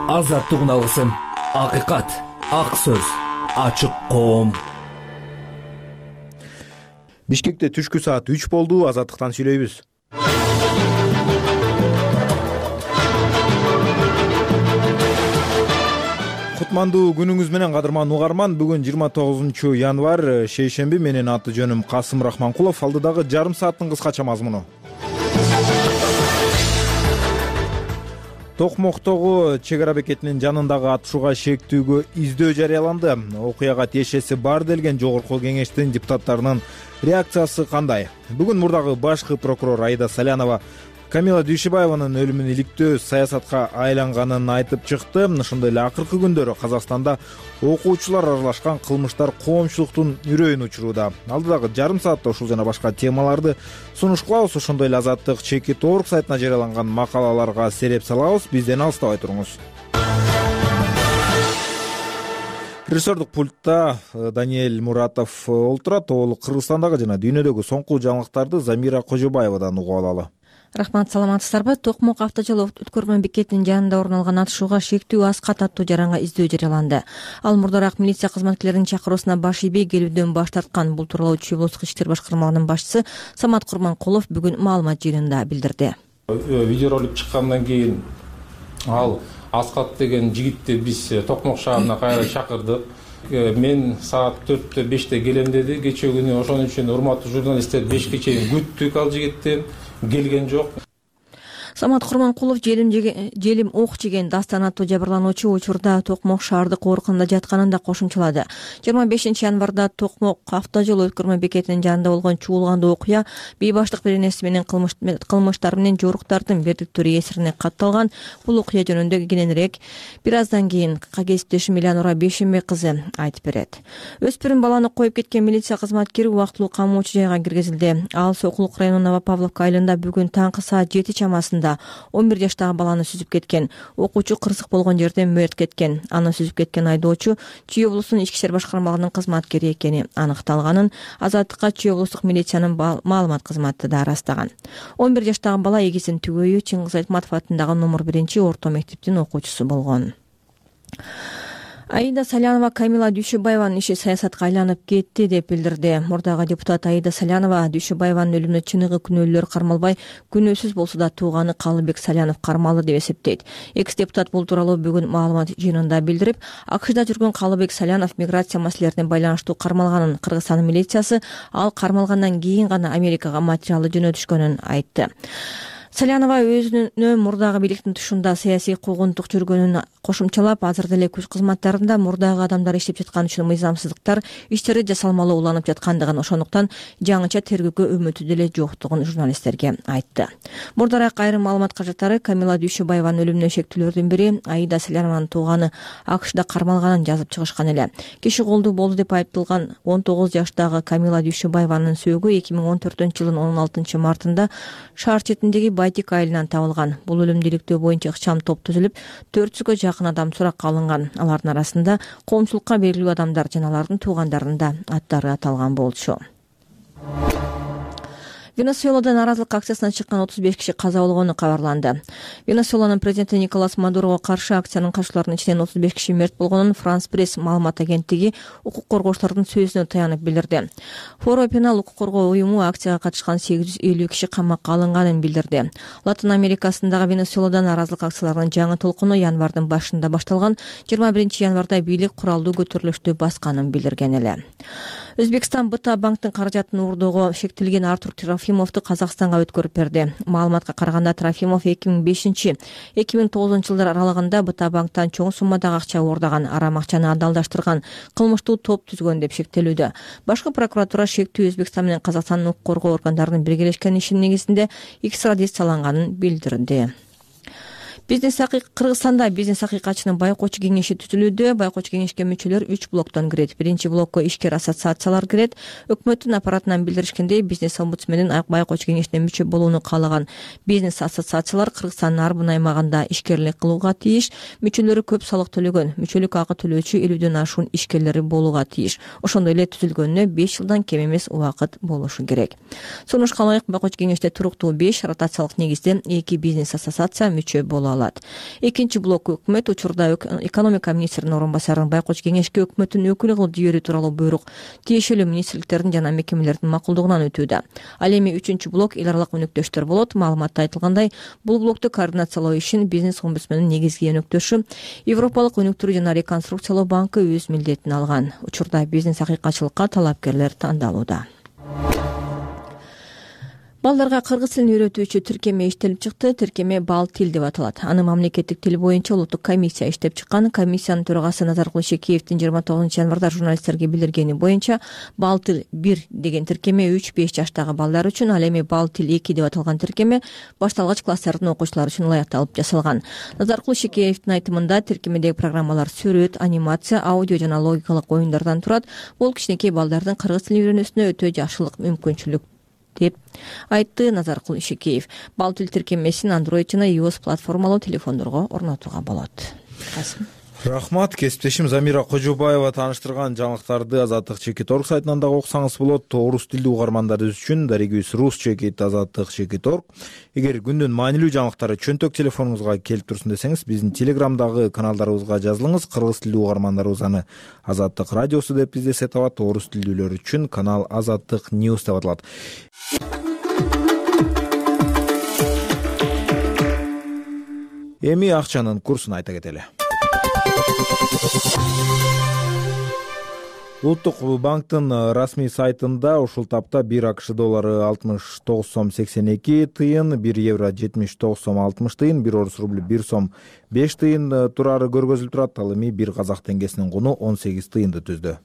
Азаттык алгысым, акыйкат, ак сөз, ачык коом. Бишкекте түшкү саат 3 болду. Азаттыктан сүйлөйбүз. Кутмандуу күнүңүз менен кадырман угарман. Бүгүн 29 январь, шейшемби. Менин аты жөнүм Касым Рахманкулов. Алдыдагы жарым сааттын кыскача мазмуну. Токмоктогу чек ара бекетинин жанындагы атышууга шектүүгө издөө жарыяланды. Окуяга тиешеси бар делген жогорку кеңештин депутаттарынын реакциясы кандай? Бүгүн мурдагы башкы прокурор Аида Салянова Камила Дүйшөбаеванын өлүмүн иликтөө саясатка айланганын айтып чыкты. Ошондой эле акыркы күндөрү Казакстанда окуучулар аралашкан кылмыштар коомчулуктун үрөйүн учурууда. Алдыдагы жарым саатта ушул жана башка темаларды сунуш кылабыз. Ошондой эле Азаттык чекит орг сайтына жарыяланган макалаларга сереп салабыз. Бизден алыстабай туруңуз. Режиссердук пультта Даниэль Муратов олтурат. Ол Кыргызстандагы жана дүйнөдөгү соңку жаңылыктарды Замира Кожобаевадан угуп алалы. Рахмат, саламатсыздарбы? Токмок автожол өткөрмө бекетинин жанында орун алган атышууга шектүү аскат аттуу жаранга издөө жарыяланды. Ал мурдараак милиция кызматкерлеринин чакыруусуна баш ийбей келүүдөн баш тарткан. Бул тууралуу Чүй облустук иштер башкармалыгынын башчысы Самат Курманкулов бүгүн маалымат жыйынында билдирди. Видеоролик чыккандан кийин ал Аскат деген жигитти биз Токмок шаарына кайра чакырдык. Мен саат 4-5 келем деди. Кечээ күнү ошон үчүн урматтуу журналисттер 5ке чейин күттүк, ал жигитти келген жок. Самат Курманкулов желим ок жеген Дастан аттуу жабырлануучу учурда Токмок шаардык ооруканада жатканын да кошумчалады. 25 январда Токмок автожол өткөрмө бекетинин жанында болгон чуулгандуу окуя бейбаштык беренеси менен кылмыштар менен жоруктардын бердиктүүрү кесирине катталган. Бул окуя жөнүндө кененирээк бир аздан кийин кесиптешим Элеонора Бейшембек кызы айтып берет. Өспүрүм баланы коюп кеткен милиция кызматкери убактылуу камоочу жайга киргизилди. Ал Сокулук районунун Новопавловка айылында бүгүн таңкы саат 7 чамасында 11 жаштагы баланы сүзүп кеткен. Окуучу кырсык болгон жерден мөрт кеткен. Аны сүзүп кеткен айдоочу Чүй облустунун ички иштер башкармалыгынын кызматкери экени аныкталганын Азаттыкка Чүй облустук милициянын маалымат кызматы да ырастаган. 11 жаштагы бала эгизин түгөйү Чыңгыз Айтматов атындагы номер 1-орто мектептин окуучусу болгон. Аида Салянова Камила Дүйшөбаеванын иши саясатка айланып кетти деп билдирди. Мурдагы депутат Аида Салянова Дүйшөбаеванын өлүмүнө чыныгы күнөөлөр кармалбай, күнөөсүз болсо да тууганы Калыбек Салянов кармалды деп эсептейт. Экс-депутат бул тууралуу бүгүн маалымат жыйынында билдирип, АКШда жүргөн Калыбек Салянов миграция маселелерине байланыштуу кармалганын, Кыргызстан милициясы ал кармалгандан кийин гана Америкага материалды жөнөтүшкөнүн айтты. Салянова өзүнө мурдагы бийликтин тушунда саясий куугунтук жүргөнүн кошумчалап, азыр деле күч кызматтарында мурдагы адамдар иштеп жаткан үчүн мыйзамсыздыктар иштери жасалмалуу уланып жаткандыгын, ошондуктан жаңыча тергөөгө үмүтү деле жоктугун журналисттерге айтты. Мурдараак айрым маалымат каражаттары Камила Дүйшөбаеванын өлүмүнө шектүүлөрдүн бири Аида Салянованын тууганы АКШда кармалганын жазып чыгышкан эле. Киши колдуу болду деп айыпталган 19 жаштагы Камила Дүйшөбаеванын сөөгү 2014-жылдын 16 мартында шаар четиндеги Байтик айылынан табылган. Бул өлүмдү иликтөө боюнча ыкчам топ түзүлүп, 400гө жакын адам суракка алынган. Алардын арасында коомчулукка белгилүү адамдар жана алардын туугандарынын да аттары аталган болчу. Венесуэлада нааразылык акциясына чыккан 35 киши каза болгону кабарланды. Венесуэланын президенти Николас Мадурого каршы акциянын катышууларынын ичинен 35 киши мерт болгонун Франс Пресс маалымат агенттиги укук коргоочулардын сөзүнө таянып билдирди. Форо Пенал укук коргоо уюму акцияга катышкан 850 киши камакка алынганын билдирди. Латын Америкасындагы Венесуэлада нааразылык акцияларынын жаңы толкуну январдын башында башталган. 21 январда бийлик куралдуу көтөрүлүштү басканын билдирген эле. Өзбекстан БТА банктын каражатын уурдоого шектелген Артур Трофимовду Казакстанга өткөрүп берди. Маалыматка караганда Трофимов 2005-2009 жылдар аралыгында БТА банктан чоң суммадагы акча уурдаган, арам акчаны адалдаштырган, кылмыштуу топ түзгөн деп шектелүүдө. Башкы прокуратура шектүү Өзбекстан менен Казакстандын укук коргоо органдарынын биргелешкен ишинин негизинде экстрадицияланганын билдирди. Кыргызстанда бизнес акыйкатчынын байкоочу кеңеши түзүлүүдө. Байкоочу кеңешке мүчөлөр 3 блоктон кирет. Биринчи блокко ишкер ассоциациялар кирет. Өкмөттүн аппаратынан билдиришкендей, бизнес омбудсменин байкоочу кеңешине мүчө болууну каалаган бизнес ассоциациялар Кыргызстандын ар бир аймагында ишкерлик кылууга тийиш. Мүчөлөрү көп салык төлөгөн, мүчөлүк акы төлөөчү 50дөн ашуун ишкерлери болууга тийиш. Ошондой эле түзүлгөнүнө 5 жылдан кем эмес убакыт болушу керек. Сунушка ылайык байкоочу кеңеште туруктуу 5 ротациялык негизде 2 бизнес ассоциация мүчө боло алат. Экинчи блок өкмөт учурда экономика министринин орун басарын байкоч кеңешке өкмөттүн өкүлү кылып жиберүү тууралуу буйрук тиешелүү министрликтердин жана мекемелердин макулдугунан өтүүдө. Ал эми үчүнчү блок эл аралык өнөктөштөр болот. Маалыматта айтылгандай, бул блокту координациялоо ишин бизнес омбудсмендин негизги өнөктөшү Европалык өнүктүрүү жана реконструкциялоо банкы өз милдетине алган. Учурда бизнес акыйкатчылыкка талапкерлер тандалууда. Балдарга кыргыз тилин үйрөтүүчү тиркеме иштелип чыкты. Тиркеме Бал тил деп аталат. Аны мамлекеттик тил боюнча улуттук комиссия иштеп чыккан. Комиссиянын төрагасы Назаркул Ишекеевдин 29 январда журналисттерге билдиргени боюнча, Бал тил 1 деген тиркеме 3-5 жаштагы балдар үчүн, ал эми Бал тил 2 деп аталган тиркеме башталгыч класстардын окуучулары үчүн ылайыкталып жасалган. Назаркул Ишекеевдин айтымында, тиркемедеги программалар сүрөт, анимация, аудио жана логикалык оюндардан турат. Бул кичинекей балдардын кыргыз тилин үйрөнүүсүнө өтө жакшылык мүмкүнчүлүк деп айтты Назаркул Ишекеев. Бал тил тиркемесин Android жана iOS платформалуу телефондорго орнотууга болот. Рахмат. Кесиптешим Замира Кожобаева тааныштырган жаңылыктарды Азаттык Чекит орг сайтынан дагы окусаңыз болот. Орус тилдүү угармандарыбыз үчүн дарегибиз Рус Чекит Азаттык Чекит орг. Эгер күндүн маанилүү жаңылыктары чөнтөк телефонуңузга келип турсун десеңиз, биздин Телеграмдагы каналдарыбызга жазылыңыз. Кыргыз тилдүү угармандарыбыз аны Азаттык радиосу деп издесе табат. Орус тилдүүлөр үчүн канал Азаттык News деп аталат. Эми акчанын курсун айта кетели. Улуттук банктын расмий сайтында ушул тапта 1 АКШ доллары 69 сом 82 тыйын, 1 евро 79 сом 60 тыйын, 1 орус рубль 1 сом 5 тыйын турары көргөзүлүп турат. Ал эми 1 казак теңгесинин куну 18 тыйынды түздү.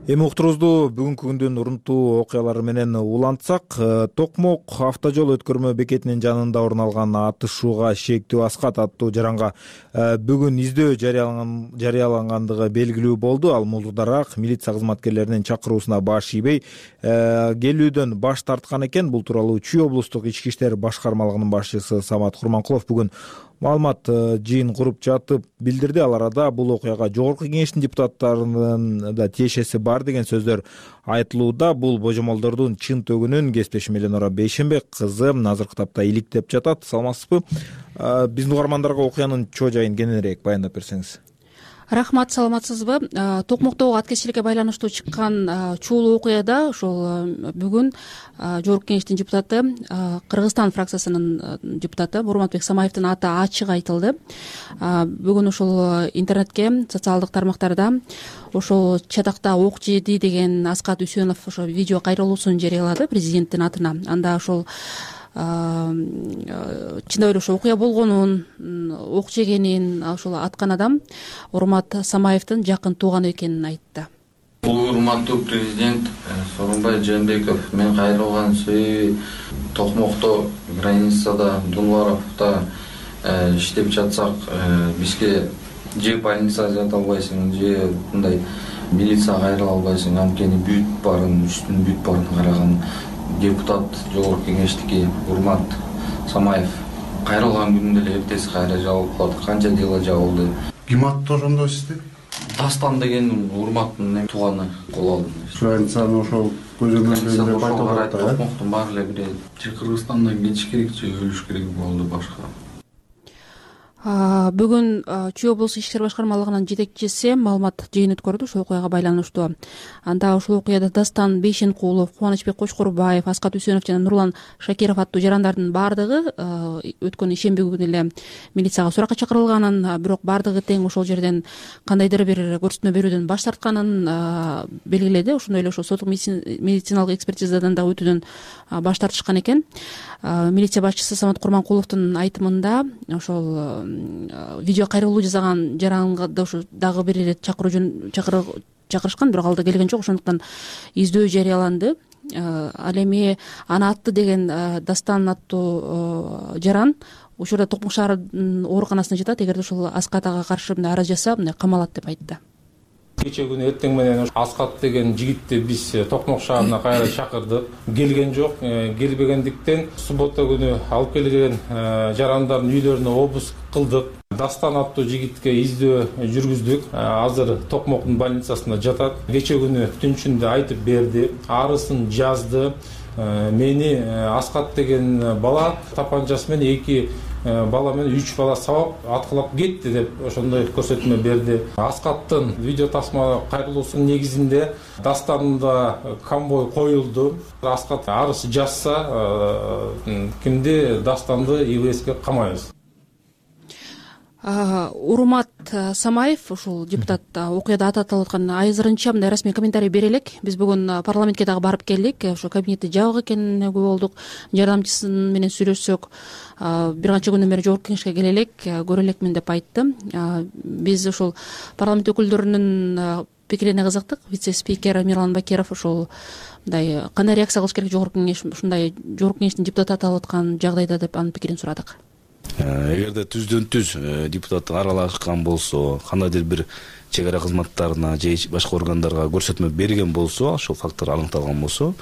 Эми уктуруубузду бүгүнкү күндүн урунтуу окуялары менен улантсак, Токмок автожол өткөрмө бекетинин жанында орун алган атышууга шектүү аскат аттуу жаранга бүгүн издөө жарыялангандыгы белгилүү болду. Ал мулдудараак милиция кызматкерлеринин чакыруусуна баш ийбей келүүдөн баш тарткан экен. Бул тууралуу Чүй облустук ички иштер башкармалыгынын башчысы Самат Курманкулов бүгүн маалымат жыйын куруп жатып билдирди. Ал арада бул окуяга жогорку кеңештин депутаттарынын да тиешеси бар деген сөздөр айтылууда. Бул божомолдордун чын төгүнүн кесиптешим Эленора Бейшенбек кызы азыркы тапта иликтеп жатат. Саламатсызбы? Биздин угармандарга окуянын чоо жайын кененирээк баяндап берсеңиз. Рахмат, саламатсызбы? Токмоктогу аткезчиликке байланыштуу чыккан чуулуу окуяда ошол бүгүн жогорку кеңештин депутаты, Кыргызстан фракциясынын депутаты Бурматбек Самаевдин аты ачык айтылды. Бүгүн ошол интернетке, социалдык тармактарда ошол чатакта ок жеди деген Аскат Үсөнов ошо видео кайрылуусун жарыялады президенттин атына. Анда ошол чындап эле ошо окуя болгонун, ок жегенин ошол аткан адам Урмат Самаевдин жакын тууганы экенин айтты. Урматтуу президент Сооронбай Жээнбеков, мен кайрылган сөйү Токмокто, границада, Дулваровдо иштеп жатсак, бизге же больница жата албайсың, же мындай милиция кайрыла албайсың. Анткени бүт барын, үстүн бүт барын караган депутат жогорку кеңештики Урмат Самаев кайрылган күндө эле эртеси кайра жабылып калды. Канча дела жабылды. Ким аттуу ошондо сизди? Дастан деген Урматтын тууганы кол алды. Границаны ошол көзөмөлдөгү деп айтылат. Токмоктун баары эле бир же Кыргызстандан кетиш керек, же өлүш керек болду башка. Бүгүн Чүй облустук ички иштер башкармалыгынын жетекчиси маалымат жыйын өткөрдү ошол окуяга байланыштуу. Анда ошол окуяда Дастан Бейшенкулов, Кубанычбек Кочкорбаев, Аскат Үсөнов жана Нурлан Шакиров аттуу жарандардын баардыгы өткөн ишемби күнү эле милицияга суракка чакырылганын, бирок баардыгы тең ошол жерден кандайдыр бир көрсөтмө берүүдөн баш тартканын белгиледи. Ошондой эле ошо соттук медициналык экспертизадан да өтүүдөн баш тартышкан экен. Милиция башчысы Самат Курманкуловдун айтымында ошол видео кайрылуу жасаган жаранга ошо дагы бир ирет чакырышкан, бирок ал да келген жок. Ошондуктан издөө жарыяланды. Ал эми аны атты деген Дастан аттуу жаран учурда Токмок шаар ооруканасына жатат. Эгерде ошол Аскат ага каршы арыз жаса, камалат деп айтты. Кече күнү эртең менен Аскат деген жигитти биз Токмок шаарына кайра чакырдык. Келген жок. Келбегендиктен суббота күнү алып келген жарандардын үйлөрүнө обыск кылдык. Дастан аттуу жигитке издөө жүргүздүк. Азыр Токмоктун больницасында жатат. Кече күнү түнчүндө айтып берди, арысын жазды. Мени Аскат деген бала тапанчасы менен 2 бала менен 3 бала сабап аткылап кетти деп ошондой көрсөтмө берди. Аскаттын видео тасма кайрылуусунун негизинде Дастанында конвой коюлду. Аскат арыз жазса, кимди Дастанды ИВСке камайбыз. Урмат Самаев, ушул депутат окуяда аты аталып аткан азырынча мындай расмий комментарий бере элек. Биз бүгүн парламентке дагы барып келдик. Ошо кабинети жабык экенине күбө болдук. Жардамчысы менен сүйлөшсөк, бир канча күндөн бери жогорку кеңешке келе элек, көрө элекмин деп айтты. Биз ушул парламент өкүлдөрүнүн пикирине кызыктык. Вице-спикер Мирлан Бакиров ушул мындай кандай реакция кылыш керек жогорку кеңеш ушундай жогорку кеңештин депутаты аталып аткан жагдайда деп анын пикирин сурадык. Эгерде түздөн-түз депутат аралашкан болсо, кандайдыр бир чек ара кызматтарына же башка органдарга көрсөтмө берген болсо, ошол фактор аныкталган болсо,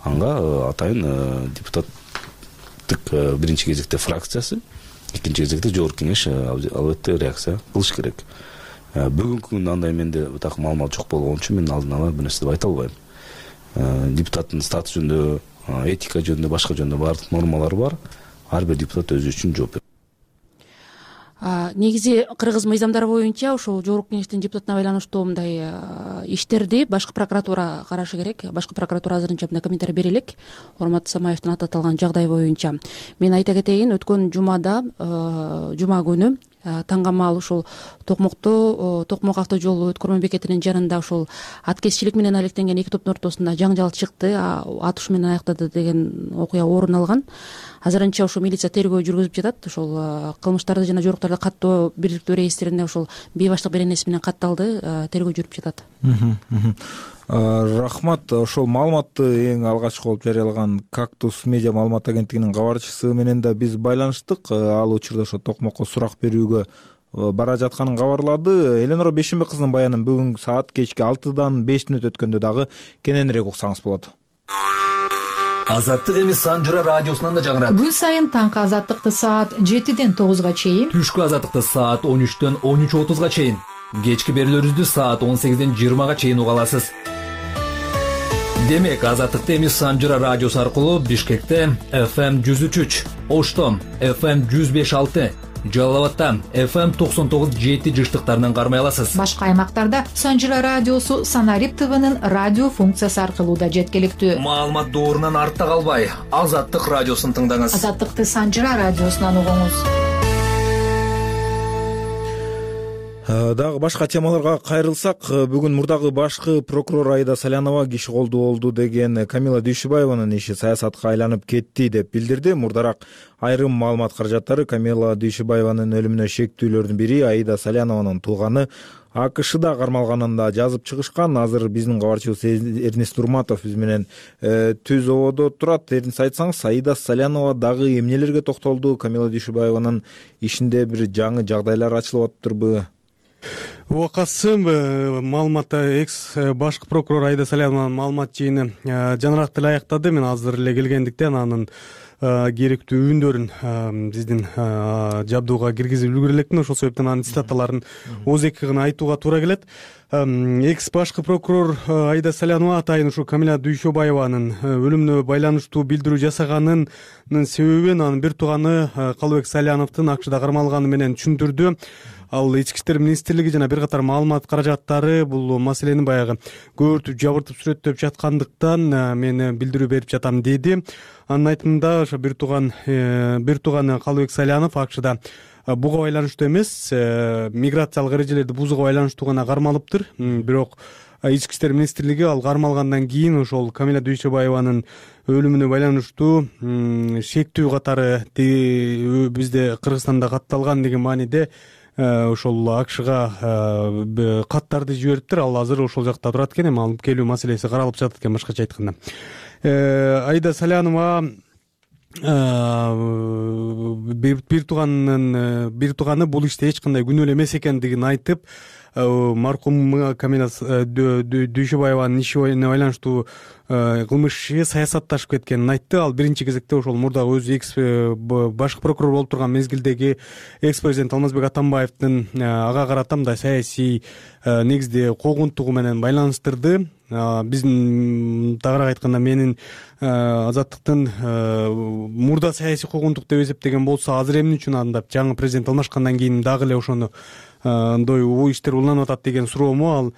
анга атайын депутаттык биринчи кезекте фракциясы, экинчи кезекте жогорку кеңеш албетте реакция кылыш керек. Бүгүнкү күндө андай менде так маалымат жок болгон үчүн мен алдын ала бир нерсе деп айта албайм. Депутаттын статусунда, этика жөнүндө, башка жөнүндө баардык нормалар бар. Ар бир депутат өзү үчүн жооп берет. Негизи кыргыз мыйзамдары боюнча ошол жогорку кеңештин депутатына байланыштуу мындай иштерди башкы прокуратура карашы керек. Башкы прокуратура азырынча мындай комментарий бере элек. Урмат Самаевдин аты аталган жагдай боюнча. Мен айта кетейин, өткөн жумада, жума күнү таңгамал ушул Токмок авто жолу өткөрмө бекетинин жанында ушул аткезчилик менен алектенген 2 топтун ортосунда жаңжал чыкты, атыш менен аяктады деген окуя орун алган. Азырынча ошол милиция тергөө жүргүзүп жатат. Ошол кылмыштарды жана жоруктарды каттоо бириктүү реестрине ошол бейбаштык беренеси менен катталды, тергөө жүрүп жатат. Рахмат. Ошол маалыматты эң алгачкы болуп жарыялаган Кактус медиа маалымат агенттигинин кабарчысы менен да биз байланыштык. Ал учурда ошо Токмокко сурак берүүгө бара жатканын кабарлады. Эленора Бейшенбек кызынын баянын бүгүн саат кечки 6-дан 5 мүнөт өткөндө дагы кененирээк уксаңыз болот. Азаттык эми Санжыра радиосунан да жаңырат. Күн сайын таңкы азаттыкты саат 7-ден 9-га чейин, Түшкү азаттыкты саат 13-төн 13:30-га чейин, кечки берүүлөрүбүздү саат 18-ден 20-га чейин уга аласыз. Демек, азаттыкты эми Санжыра радиосу аркылуу Бишкекте FM 103, Оштом FM 105.6, Жалал Абадта FM 99.7 жыштыктарынан кармай аласыз. Башка аймактарда Санжыра радиосу Санарип ТВнын радио функциясы аркылуу да жеткиликтүү. Маалымат доорунан артта калбай, Азаттык радиосун тыңдаңыз. Азаттыкты Санжыра радиосунан угуңуз. Дагы башка темаларга кайрылсак, бүгүн мурдагы башкы прокурор Аида Салянова киши колду болду деген Камила Дүйшүбаеванын иши саясатка айланып кетти деп билдирди. Мурдараак айрым маалымат каражаттары Камила Дүйшүбаеванын өлүмүнө шектүүлөрдүн бири Аида Салянованын тууганы АКШда кармалганында жазып чыгышкан. Азыр биздин кабарчыбыз Эрнест Урматов биз менен түз ободо турат. Эрнест, айтсаңыз, Аида Салянова дагы эмнелерге токтолду? Камила Дүйшүбаеванын ишинде бир жаңы жагдайлар ачылып атыптырбы? Касым, маалыматта экс башкы прокурор Аида Салянованын маалымат жыйыны жаныраак деле аяктады. Мен азыр эле келгендиктен анын керектүү үндөрүн биздин жабдууга киргизип үлгүрө элекмин. Ошол себептен анын цитаталарын ооз-эки гана айтууга туура келет. Экс башкы прокурор Аида Салянова атайын ушу Камила Дүйшөбаеванын өлүмүнө байланыштуу билдирүү жасаганынын себебин анын бир тууганы Калыбек Саляновдун АКШда кармалганы менен түшүндүрдү. Ал Ички иштер министрлиги жана бир катар маалымат каражаттары бул маселени баягы көбүртүп жабыртып сүрөттөп жаткандыктан мен билдирүү берип жатам деди. Анын айтымында ошо бир тууганы Калыбек Салянов АКШда буга байланыштуу эмес, миграциялык эрежелерди бузууга байланыштуу гана кармалыптыр. Бирок Ички иштер министрлиги ал кармалгандан кийин ошол Камила Дүйшөбаеванын өлүмүнө байланыштуу шектүү катары бизде Кыргызстанда катталган деген мааниде ошол АКШга каттарды жибериптир. Ал азыр ошол жакта турат экен, эми алып келүү маселеси каралып жатат экен, башкача айтканда. Аида Салянова бир тууганы бул иште эч кандай күнөөлүү эмес экендигин айтып, маркум Камила Дүйшөбаеванын ишине байланыштуу кылмыш иши саясатташып кеткенин айтты. Ал биринчи кезекте ошол мурдагы өзү башкы прокурор болуп турган мезгилдеги экс президент Алмазбек Атамбаевдин ага карата мындай саясий негизде куугунтугу менен байланыштырды. Биздин тагыраак айтканда менин Азаттыктын мурда саясий куугунтук деп эсептеген болсо, азыр эмне үчүн андап жаңы президент алмашкандан кийин дагы эле ошону иштер уланып атат деген суроому. Ал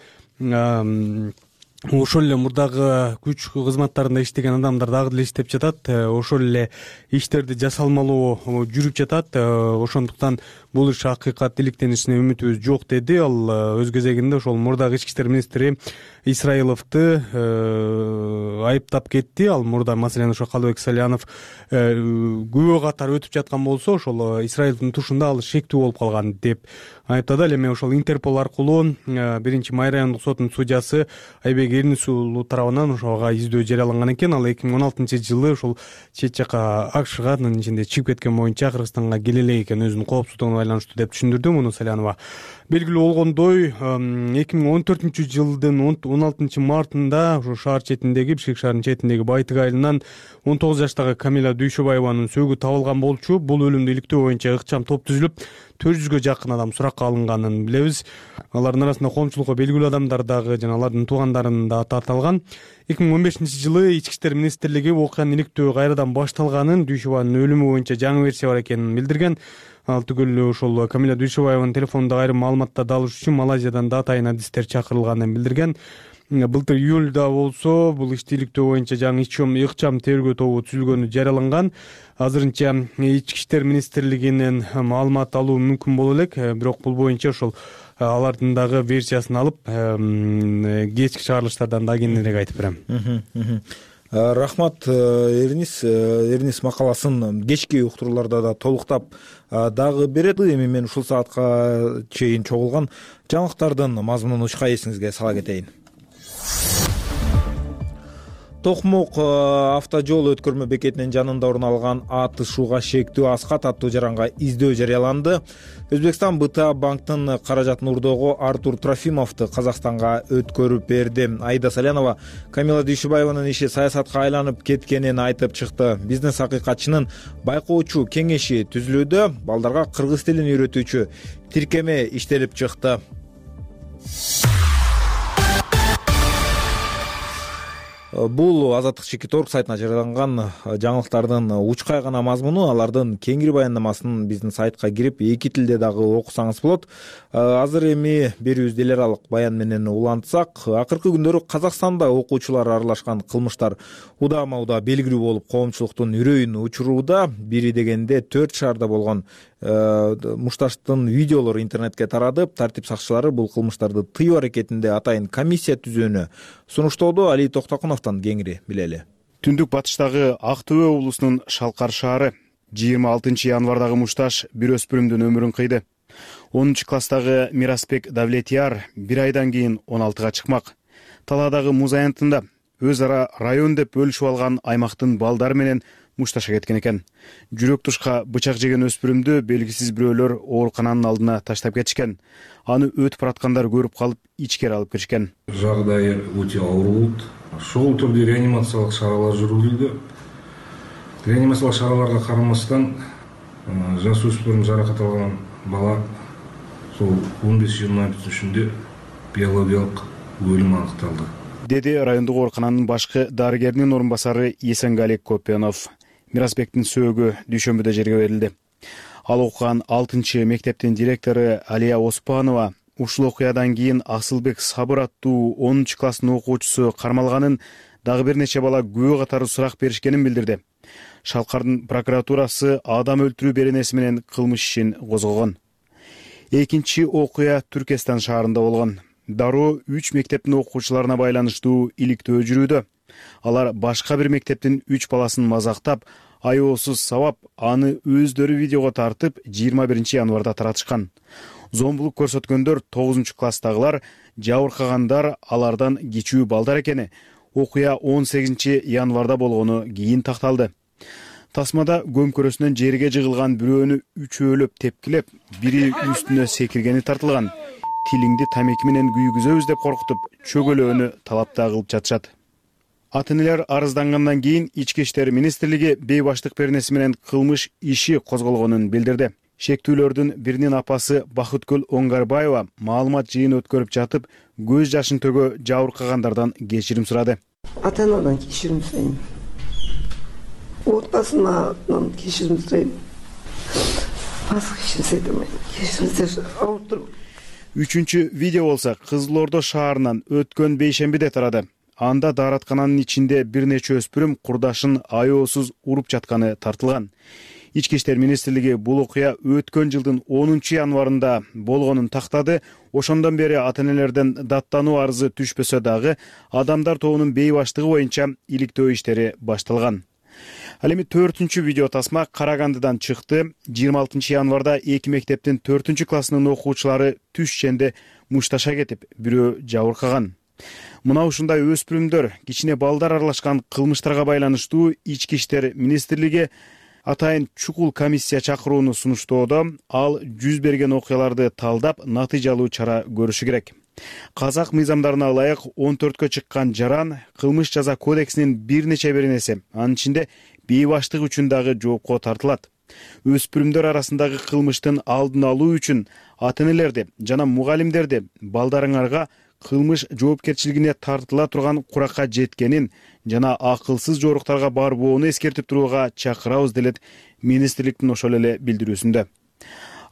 ошол эле мурдагы күч кызматтарында иштеген адамдар дагы деле иштеп жатат. Ошол эле иштерди жасалмалуу жүрүп жатат. Ошондуктан бул иш акыйкат иликтенишине үмүтүбүз жок деди. Ал өз кезегинде ошол мурдагы ички иштер министри Исраиловду айыптап кетти. Ал мурда маселен ошо Калыбек Салянов күбө катары өтүп жаткан болсо, ошол Исраилдин тушунда ал шектүү болуп калган деп айыптады. Ал эми ошол Интерпол аркылуу 1-Май райондук сотунун судьясы Айбек Эрнис уулу тарабынан ошого издөө жарыяланган экен. Ал 2016-жылы ошол чет жака АКШга, анын ичинде чыгып кеткен боюнча Кыргызстанга келе элек экен, өзүнүн коопсуздугуна байланыштуу деп түшүндүрдү муну Салянова. Белгилүү болгондой, 2014-жылдын 16-мартында ошо шаар четиндеги, Бишкек шаарынын четиндеги Байтык айылынан 19 жаштагы Камила Дүйшөбаеванын сөөгү табылган болчу. Бул өлүмдү иликтөө боюнча ыкчам топ түзүлүп, 400гө жакын адам суракка алынганын билебиз. Алардын арасында коомчулукка белгилүү адамдар дагы жана алардын туугандарын да аталган. 2015-жылы Ички иштер министрлиги окуянын иликтөө кайрадан башталганын, Дүйшөбаеванын өлүмү боюнча жаңы версия бар экенин билдирген. Ал түгүл ошол Камила Дүйшөбаеванын телефонундагы айрым маалыматтарды алыш үчүн Малайзиядан да атайын адистер чакырылганын билдирген. Былтыр июлда болсо бул ишти иликтөө боюнча жаңы ыкчам тергөө тобу түзүлгөнү жарыяланган. Азырынча Ички иштер министрлигинен маалымат алуу мүмкүн боло элек, бирок бул боюнча ошол алардын дагы версиясын алып, кечки чыгарылыштардан да кененирээк айтып берем. Рахмат, Эрнис макаласын кечки уктурууларда да толуктап дагы берет. Эми мен ушул саатка чейин чогулган жаңылыктардын мазмунун учка эсиңизге сала кетейин. Токмок автожол өткөрмө бекетинин жанында орун алган атышууга шектүү аскат аттуу жаранга издөө жарыяланды. Өзбекстан БТА банктын каражатын урдоого Артур Трофимовду Казакстанга өткөрүп берди. Аида Салянова Камила Дүйшөбаеванын иши саясатка айланып кеткенин айтып чыкты. Бизнес акыйкатчынын байкоочу кеңеши түзүлүүдө, балдарга кыргыз тилин үйрөтүүчү тиркеме иштелип чыкты. Бул Азаттык Чекит.орг сайтына жарыяланган жаңылыктардын учкай гана мазмуну. Алардын кеңири баяндамасын биздин сайтка кирип, эки тилде дагы окусаңыз болот. Азыр эми берүүбүздү эл аралык баян менен улантсак, акыркы күндөрү Казакстанда окуучулар аралашкан кылмыштар удама-удаа белгилүү болуп, коомчулуктун үрөйүн учурууда. Бири дегенде 4 шаарда болгон мушташтын видеолору интернетке тарадып, тартип сакчылары бул кылмыштарды тыюу аракетинде атайын комиссия түзүүнү сунуштоодо. Али Токтокуновдон кеңири билели. Түндүк батыштагы Ак Төбө облусунун Шалкар шаары 26 январдагы мушташ бир өспүрүмдүн өмүрүн кыйды. 10-класстагы Мирасбек Давлетияр 1 айдан кийин 16-га чыкмак. Талаадагы муз аянтында өз ара район деп бөлүшүп алган аймактын балдары менен мушташа кеткен экен. Жүрөк тушка бычак жеген өспүрүмдү белгисиз бирөөлөр оорукананын алдына таштап кетишкен. Аны өтүп бараткандар көрүп калып, ичкери алып киришкен. Жагдайы өтө оор болот. Шул түрдө реанимациялык чаралар жүргүзүлдү. Реанимациялык чараларга карамастан жаш өспүрүм жаракат алган бала сол 15-20 бүтүнүшүндө биологиялык өлүм аныкталды, деди райондук оорукананын башкы дарыгеринин орун басары Есенгалик Копенов. Мирасбектин сөөгү дүйшөмбүдө жерге берилди. Ал окуган 6-мектептин директору Алия Оспанова ушул окуядан кийин Асылбек Сабыр аттуу 10-класстын окуучусу кармалганын, дагы бир нече бала күбө катары сурак беришкенин билдирди. Шалкардын прокуратурасы адам өлтүрүү беренеси менен кылмыш ишин козгогон. Экинчи окуя Түркестан шаарында болгон. Дароо 3 мектептин окуучуларына байланыштуу иликтөө жүрүүдө. Алар башка бир мектептин 3 баласын мазактап, аеосуз сабап, аны өздөрү видеого тартып 21 январда таратышкан. Зомбулук көрсөткөндөр 9-класстагылар, жабыркагандар алардан кичүү балдар экени окуя 18 январда болгону кийин такталды. Тасмада көмкөрөсүнөн жерге жыгылган бирөөнү үчөөлөп тепкилеп, бири үстүнө секиргени тартылган. Тилиңди тамеки менен күйгүзөбүз деп коркутуп, чөгөлөөнү талап да кылып жатышат. Ата энелер арыздангандан кийин Ички иштер министрлиги бейбаштык беренеси менен кылмыш иши козголгонун билдирди. Шектүүлөрдүн биринин апасы Бакыткүл Оңгарбаева маалымат жыйыны өткөрүп жатып, көз жашын төгө жабыркагандардан кечирим сурады. Ата анадан кечирим сурайм. Отбасымдан кечирим сурайм. Башка эч нерсе айта алмайм. Кечириңиздер, ауырып турмун. Үчүнчү видео болсо Кызыл Ордо шаарынан өткөн бейшембиде тарады. Анда даараткананын ичинде бир нече өспүрүм курдашын аеосуз уруп жатканы тартылган. Ички иштер министрлиги бул окуя өткөн жылдын 10 январында болгонун тактады. Ошондон бери ата энелерден даттануу арызы түшпөсө дагы адамдар тобунун бейбаштыгы боюнча иликтөө иштери башталган. Ал эми 4-үнчү видео тасма Карагандыдан чыкты. 26 январда 2 мектептин 4-классынын окуучулары түш иченде мушташа кетип, бирөө жабыркаган. Мына ушундай өспүрүмдөр, кичине балдар аралашкан кылмыштарга байланыштуу Ички иштер министрлиги атайын чукул комиссия чакырууну сунуштоодо. Ал жүз берген окуяларды талдап, натыйжалуу чара көрүшү керек. Казак мыйзамдарына ылайык 14кө чыккан жаран кылмыш жаза кодексинин бир нече беренеси, анын ичинде бейбаштык үчүн дагы жоопко тартылат. Өспүрүмдөр арасындагы кылмыштын алдын алуу үчүн ата энелерди жана мугалимдерди балдарыңарга кылмыш жоопкерчилигине тартыла турган куракка жеткенин жана акылсыз жоруктарга барбоону эскертип турууга чакырабыз делет министрликтин ошол эле билдирүүсүндө.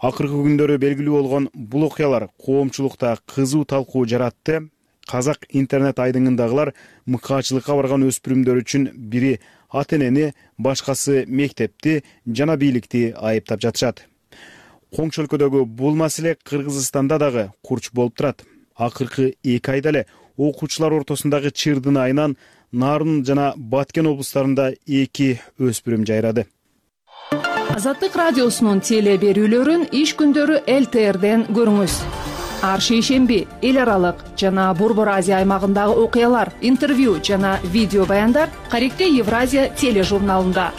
Акыркы күндөрү белгилүү болгон бул окуялар коомчулукта кызуу талкуу жаратты. Казак интернет айдыңындагылар мыкаачылыкка барган өспүрүмдөр үчүн бири ата энени, башкасы мектепти жана бийликти айыптап жатышат. Коңшу өлкөдөгү бул маселе Кыргызстанда дагы курч болуп турат. Акыркы 2 айда эле окуучулар ортосундагы Чырдын айынан Нарын жана Баткен облустарында 2 өспүрүм жайрады. Азаттык радиосунун теле берүүлөрүн иш күндөрү ЛТРден көрүңүз. Ар шейшемби эл аралык жана Борбор Азия аймагындагы окуялар, интервью жана видео баяндар Каректе Евразия тележурналында.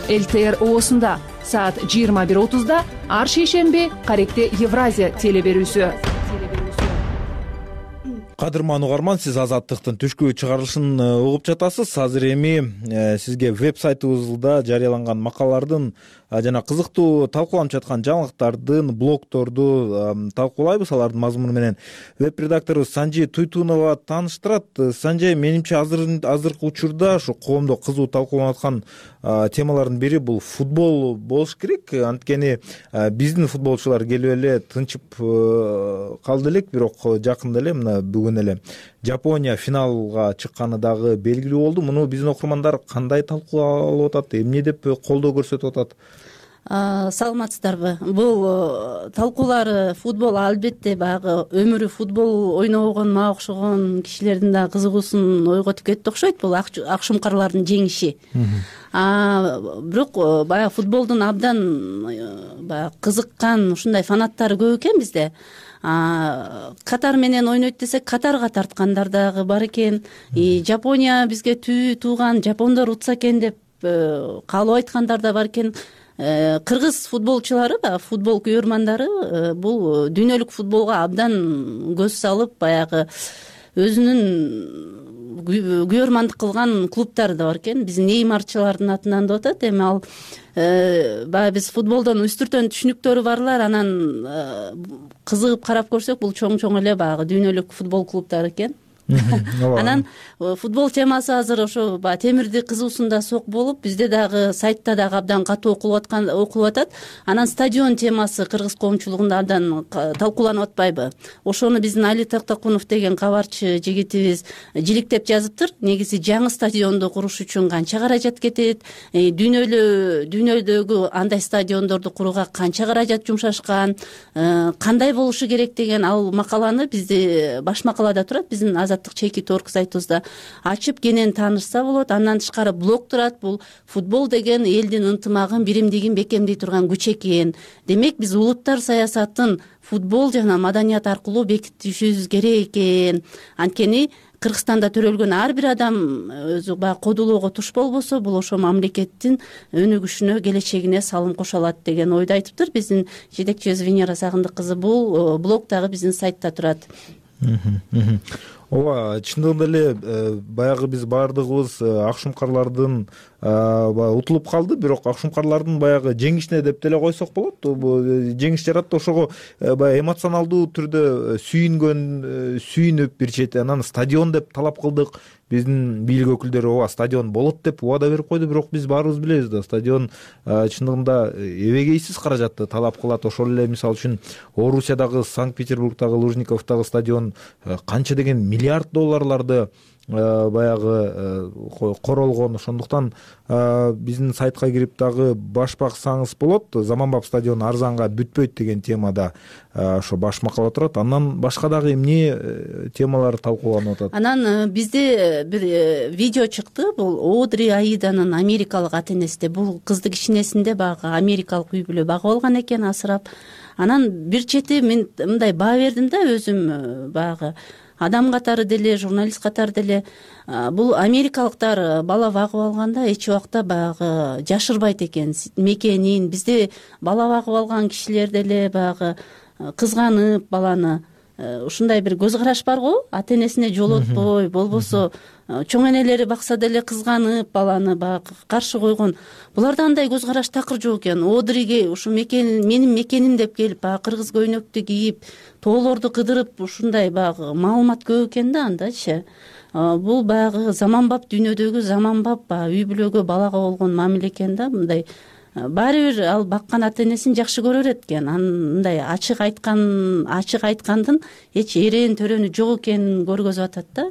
ЛТР оосунда саат 21:30 ар шейшемби Каректе Евразия теле берүүсү. Кадырман угарман, сиз Азаттыктын түшкү чыгарылышын угуп жатасыз. Азыр эми сизге веб-сайтыбызда жарыяланган макалалардын жана кызыктуу талкууланып жаткан жаңылыктардын, блогторду талкуулайбыз. Алардын мазмуну менен веб-редакторубуз Санжи Туйтунова тааныштырат. Санжи, менимче азыркы учурда ушу коомдо кызуу талкууланып аткан темалардын бири бул футбол болуш керек. Анткени биздин футболчулар келип эле тынчып калды элек, бирок жакында эле мына бүгүн эле Жапония финалга чыкканы дагы белгилүү болду. Муну биздин окурмандар кандай талкуулап атат, эмне деп колдоо көрсөтүп атат? Саламатсыздарбы? Бул талкуулар футбол албетте баягы өмүрү футбол ойногон, мага окшогон кишилердин да кызыгуусун ойготуп кетти окшойт. Бул акшумкарлардын жеңиши. Бирок баягы футболдун абдан баягы кызыккан ушундай фанаттары көп экен бизде. Катар менен ойнойт десек, Катарга тарткандар дагы бар экен. Жапония бизге тууган, жапондор утса экен деп каалоо айткандар да бар экен. Кыргыз футболчулары, футбол күйөрмандары бул дүйнөлүк футболго абдан көз салып, баягы өзүнүн күйөрмандык кылган клубтары да бар экен. Биздин Неймарчылардын атынан деп атат. Эми ал баягы биз футболдон үстүртөн түшүнүктөрү барлар, анан кызыгып карап көрсөк, бул чоң эле баягы дүйнөлүк футбол клубтары экен. Анан футбол темасы азыр ошо темирди кызуусунда сок болуп, бизде дагы сайтта дагы абдан катуу окулуп атат. Анан стадион темасы кыргыз коомчулугунда абдан талкууланып атпайбы? Ошону биздин Али Тактакунов деген кабарчы жигитибиз жиликтеп жазыптыр. Негизи жаңы стадионду куруш үчүн канча каражат кетет, дүйнөдөгү андай стадиондорду курууга канча каражат жумшашкан, кандай болушу керек деген ал макаланы бизде баш макалада турат, биздин чеки торг сайтыбызда ачып кенен таанышса болот. Андан тышкары блог турат. Бул футбол деген элдин ынтымагын, биримдигин бекемдей турган күч экен. Демек биз улуттар саясатын футбол жана маданият аркылуу бекитишибиз керек экен. Анткени Кыргызстанда төрөлгөн ар бир адам өзү баягы кодулоого туш болбосо, бул ошо мамлекеттин өнүгүшүнө, келечегине салым кошо алат деген ойду айтыптыр биздин жетекчибиз Венера Сагындык кызы. Бул блог дагы биздин сайтта турат. ооба, чындыгында эле баягы биз баардыгыбыз акшумкарлардын баягы утулуп калды, бирок акшумкарлардын баягы жеңишине деп деле койсок болот. Жеңиш жаратты, ошого баягы эмоционалдуу түрдө сүйүнүп бир чети анан стадион деп талап кылдык. Биздин бийлик өкүлдөрү ооба стадион болот деп убада берип койду, бирок биз баарыбыз билебиз да, стадион чындыгында эбегейсиз каражатты талап кылат. Ошол эле мисалы үчүн Орусиядагы, Санкт-Петербургдагы Лужниковдагы стадион канча деген миллиард долларларды баягы королгон. Ошондуктан биздин сайтка кирип дагы баш баксаңыз болот. Заманбап стадион арзанга бүтпөйт деген темада ошо баш макала турат. Андан башка дагы эмне темалар талкууланып атат? Анан бизде бир видео чыкты. Бул Одри Аиданын америкалык ата-энеси. Бул кызды кичинесинде баягы америкалык үй бүлө багып алган экен, асырап. Анан бир чети мен мындай баа бердим да, өзүм баягы адам катары деле, журналист катары деле. Бул америкалыктар бала багып алганда эч убакта баягы жашырбайт экен мекенин. Бизде бала багып алган кишилер деле баягы кызганып баланы, ушундай бир көз караш барго, ата-энесине жолотпой, болбосо чоң энелери бакса деле кызганып баланы баягы каршы койгон. Буларда андай көз караш такыр жок экен. Одриге ушу менин мекеним деп келип, баягы кыргыз көйнөктү кийип, тоолорду кыдырып, ушундай баягы маалымат көп экен да андачы. Бул баягы заманбап дүйнөдөгү заманбап үй бүлөгө балага болгон мамиле экен да. Мындай баары бир ал баккан ата-энесин жакшы көрөр экен. Мындай ачык айткандын эч эреен төрөнү жок экенин көргөзүп атат да.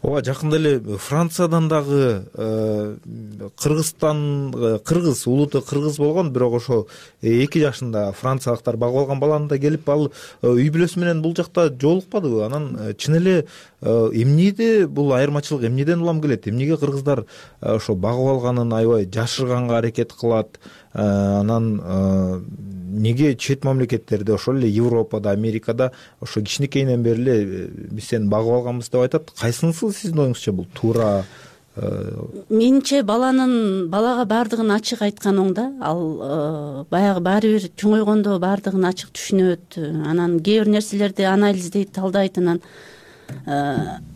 Ооба, жакында эле Франциядан дагы кыргыз улуты кыргыз болгон, бирок ошо 2 жашында франциялыктар багып алган баланы да келип ал үй бүлөсү менен бул жакта жолукпадыбы? Анан чын эле эмнеде бул айырмачылык эмнеден улам келет? Эмнеге кыргыздар ошо багып алганын аябай жашырганга аракет кылат? Анан неге чет мамлекеттерде, ошол эле Европада, Америкада ошо кичинекейинен бери эле биз сени багып алганбыз деп айтат? Кайсынысы сиздин оюңузча бул туура? Менимче балага баардыгын ачык айткан оң да. Ал баягы баары бир чоңойгондо баардыгын ачык түшүнөт. Анан кээ бир нерселерди анализдейт, талдайт. Анан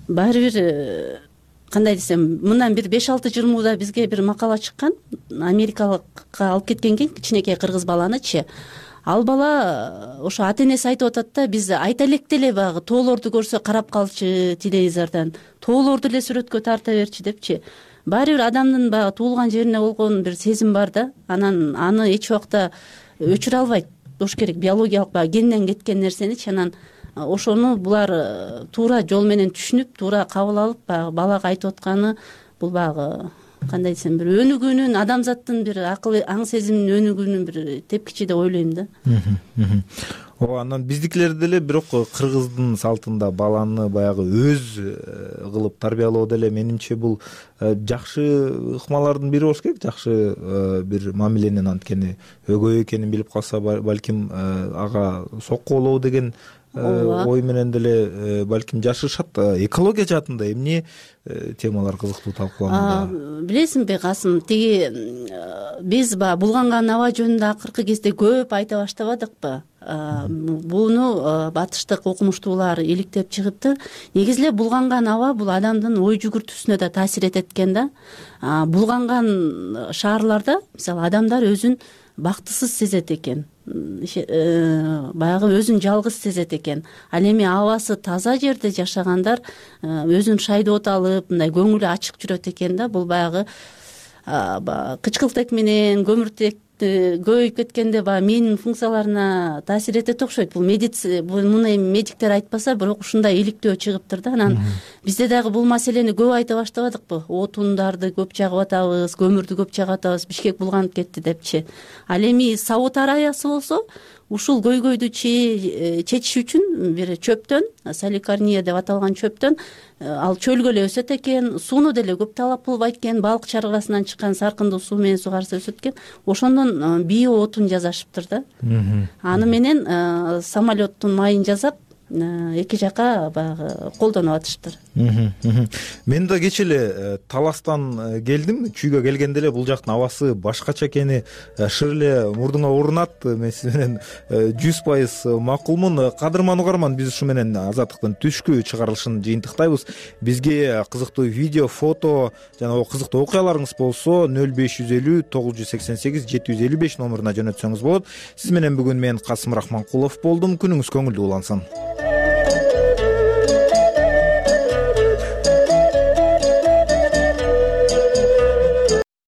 баары бир кандай десем, мындан бир 5-6 жыл мурда бизге бир макала чыккан. Америкалыкка алып кеткен экен кичинекей кыргыз баланычы. Ал бала ошо ата-энеси айтып атат да, биз айта электе эле баягы тоолорду көрсө карап калчы телевизордон, тоолорду эле сүрөткө тарта берчи депчи. Баары бир адамдын баягы туулган жерине болгон бир сезим бар да. Анан аны эч убакта өчүрө албайт. Болуш керек биологиялык баягы генден кеткен нерсеничи. Анан ошону булар туура жол менен түшүнүп, туура кабыл алып, баягы балага айтып атканы бул баягы кандай десем, бир өнүгүүнүн, адамзаттын бир акыл аң сезиминин өнүгүүнүн бир тепкичи деп ойлойм да. Ооба, анан биздикилер деле бирок кыргыздын салтында баланы баягы өз кылып тарбиялоо деле менимче бул жакшы ыкмалардын бири болуш керек. Жакшы бир мамиленин, анткени өгөй экенин билип калса балким ага соккулоо деген ой менен деле балким жашашат. Экология жаатында эмне темалар кызыктуу талкууланууда? Билесиңби Касым, тиги биз булганган аба жөнүндө акыркы кезде көп айта баштабадыкпы? Буну батыштык окумуштуулар иликтеп чыгыптыр. Негизи эле булганган аба бул адамдын ой жүгүртүүсүнө да таасир этет экен да. Булганган шаарларда мисалы адамдар өзүн бактысыз сезет экен, баягы өзүн жалгыз сезет экен. Ал эми абасы таза жерде жашагандар өзүн шайдоот алып, мындай көңүлү ачык жүрөт экен да. Бул баягы кычкылтек менен көмүртек көбөйүп кеткенде баягы миянын функцияларына таасир этет окшойт. Муну эми медиктер айтпаса, бирок ушундай иликтөө чыгыптыр да. Анан бизде дагы бул маселени көп айта баштабадыкпы? Отундарды көп жагып атабыз, көмүрдү көп жагып атабыз, Бишкек булганып кетти депчи. Ал эми Сауд Арабиясы болсо ушул көйгөйдү чечиш үчүн бир чөптөн, саликарния деп аталган чөптөн, ал чөлгө эле өсөт экен, сууну деле көп талап кылбайт экен, балык чаргасынан чыккан саркындуу суу менен сугарса өсөт экен. Ошондон био отун жасашыптыр да. Аны менен самолеттун майын жасап, эки жака баягы колдонуп атышыптыр. Мен да кечээ эле Таластан келдим. Чүйгө келгенде эле бул жактын абасы башкача экени шыр эле мурдуңа урунат. Мен сиз менен 100% макулмун. Кадырман угарман, биз ушу менен Азаттыктын түшкү чыгарылышын жыйынтыктайбыз. Бизге кызыктуу видео, фото жана кызыктуу окуяларыңыз болсо 0550 988 755 номуруна жөнөтсөңүз болот. Сиз менен бүгүн мен Касым Рахманкулов болдум. Күнүңүз көңүлдүү улансын.